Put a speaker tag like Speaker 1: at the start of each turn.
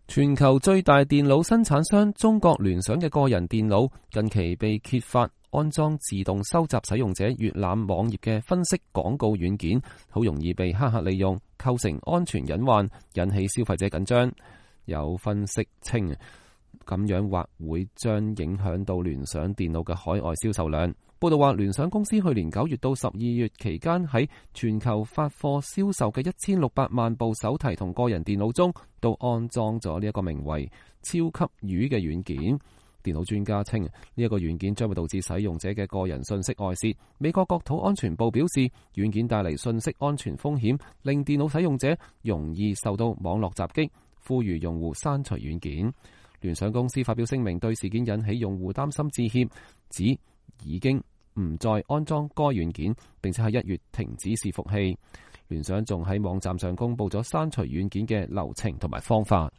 Speaker 1: 全球最大電腦生產商中國聯想嘅個人電腦近期被揭發安裝自動收集使用者閱覽網頁嘅分析廣告軟件，好容易被黑客利用，構成安全隱患，引起消費者緊張。有分析稱，咁樣或會將影響到聯想電腦嘅海外銷售量。報道話，聯想公司去年9月到12月期間喺全球發貨銷售嘅1600萬部手提同個人電腦中，都安裝咗呢一個名為超級魚嘅軟件。電腦專家稱，呢一個軟件將會導致使用者嘅個人信息外泄。美國國土安全部表示，軟件帶嚟信息安全風險，令電腦使用者容易受到網絡襲擊，呼籲用戶刪除軟件。聯想公司發表聲明，對事件引起用戶擔心致歉，指已經唔再安裝該軟件，並且喺1月停止伺服器。聯想仲喺網站上公布咗刪除軟件嘅流程同埋方法。